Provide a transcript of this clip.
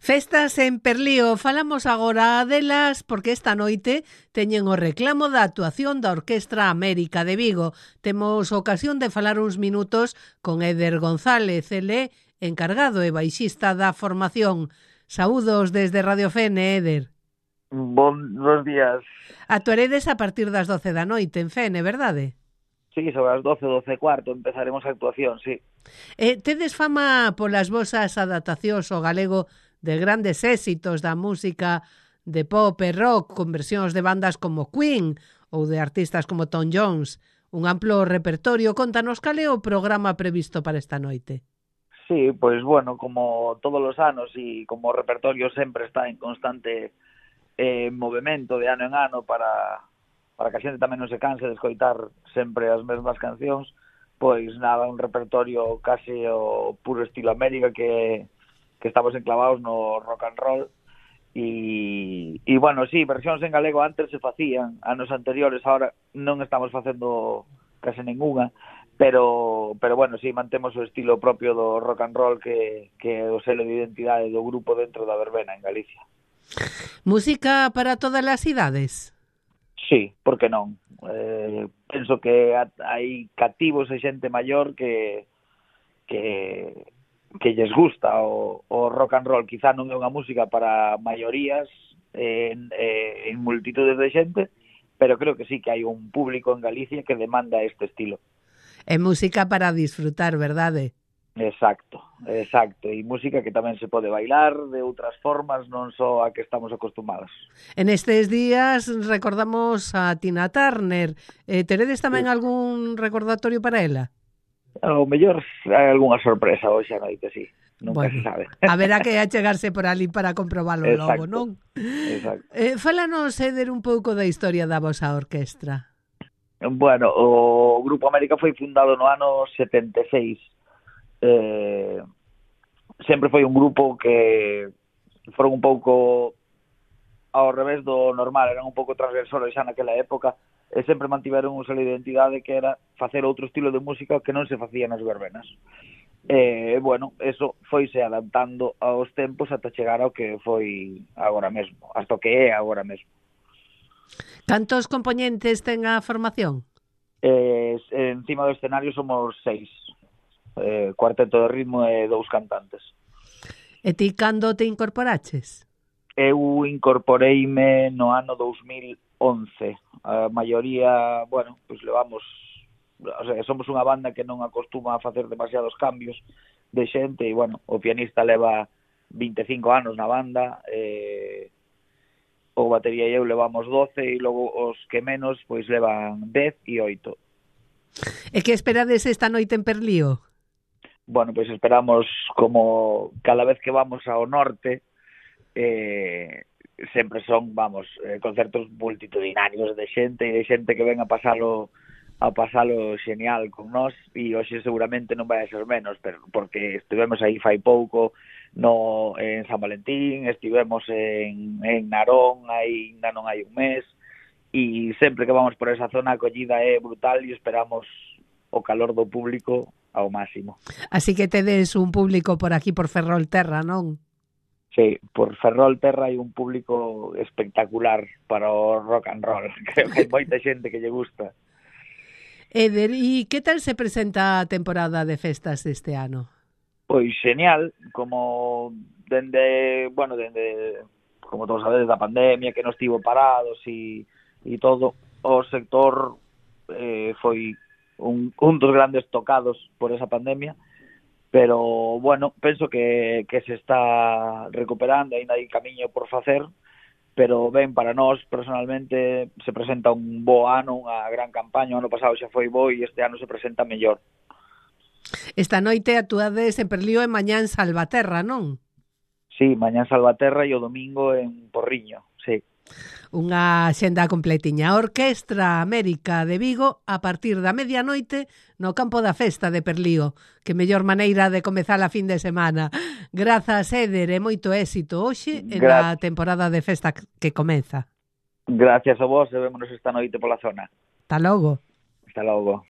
Festas en Perlío, falamos agora delas porque esta noite teñen o reclamo da actuación da Orquestra América de Vigo. Temos ocasión de falar uns minutos con Éder González, ele encargado e baixista da formación. Saúdos desde Radio Fene, Éder. Bons días. Actuaredes a partir das 12 da noite en Fene, verdade? Sí, sobre as 12:12:15 empezaremos a actuación, sí. Tedes fama polas vosas adaptacións ao galego de grandes éxitos da música de pop e rock, con versións de bandas como Queen ou de artistas como Tom Jones. Un amplo repertorio. Contanos cal é o programa previsto para esta noite. Sí, pois bueno, como todos os anos e como o repertorio sempre está en constante movimento de ano en ano para que a xente tamén non se canse de escoitar sempre as mesmas cancións, pois nada, un repertorio case o puro estilo América que estamos enclavados no rock and roll e bueno, sí, versións en galego antes se facían, anos anteriores, ahora non estamos facendo case ninguna, pero bueno, sí, mantemos o estilo propio do rock and roll que é o selo de identidade do grupo dentro da verbena en Galicia. Música para todas as idades? Sí, por que non? Penso que hai cativos e xente maior que lles gusta o rock and roll. Quizá non é unha música para maiorías en multitudes de xente, pero creo que sí que hai un público en Galicia que demanda este estilo. É música para disfrutar, verdade? Exacto. E música que tamén se pode bailar de outras formas, non só a que estamos acostumados. En estes días recordamos a Tina Turner. Teredes tamén algún recordatorio para ela? O mellor hai algunha sorpresa hoxe a noite, sí. Nunca se sabe. Haberá que achegarse por ali para comprobalo logo, non? Exacto. Fálanos, Éder, un pouco da historia da vosa orquestra. Bueno, o Grupo América foi fundado no ano 76. Sempre foi un grupo que foron un pouco ao revés do normal, eran un pouco transgresores xa naquela época e sempre mantiveron un selo de identidade que era facer outro estilo de música que non se facía nas verbenas. Bueno, eso foise adaptando aos tempos ata chegar ao que foi agora mesmo, hasta o que é agora mesmo. Cantos componentes ten a formación? Encima do escenario somos 6. Cuarteto de ritmo e 2 cantantes. E ti cando te incorporaches? Eu incorporeime no ano 2011. A maioría, bueno, pois levamos, o sea, somos unha banda que non acostuma a facer demasiados cambios de xente e, bueno, o pianista leva 25 anos na banda, o batería e eu levamos 12 e logo os que menos pois levan 10 e 8. E que esperades esta noite en Perlío? Bueno, pois esperamos, como cada vez que vamos ao norte, sempre son, concertos multitudinarios de xente que ven a pasalo xenial con nós, e hoxe seguramente non vai a ser menos, pero porque estivemos aí fai pouco en San Valentín, estivemos en Narón ainda non hai un mes, e sempre que vamos por esa zona a acollida é brutal e esperamos o calor do público ao máximo. Así que tedes un público por aquí, por Ferrolterra, non? Sí, por Ferrolterra hai un público espectacular para o rock and roll. Creo que hai moita xente que lle gusta. Éder, e que tal se presenta a temporada de festas deste ano? Pois genial, como dende, como todos sabedes, da pandemia, que nos estivo parados e todo, o sector foi un dos grandes tocados por esa pandemia, pero bueno, penso que se está recuperando, ainda hai camiño por facer, pero ben, para nós personalmente se presenta un bo ano, unha gran campaña. O ano pasado xa foi bo e este ano se presenta mellor. Esta noite actuades en Perlío e mañá en Salvaterra, non? Sí, mañá en Salvaterra e o domingo en Porriño, sí. Unha xenda completiña. A Orquestra América de Vigo a partir da medianoite no campo da festa de Perlío. Que mellor maneira de comezar a fin de semana. Grazas, Éder, e moito éxito hoxe en a temporada de festa que comeza. Gracias a vos e vémonos esta noite pola zona. Hasta logo. Hasta logo.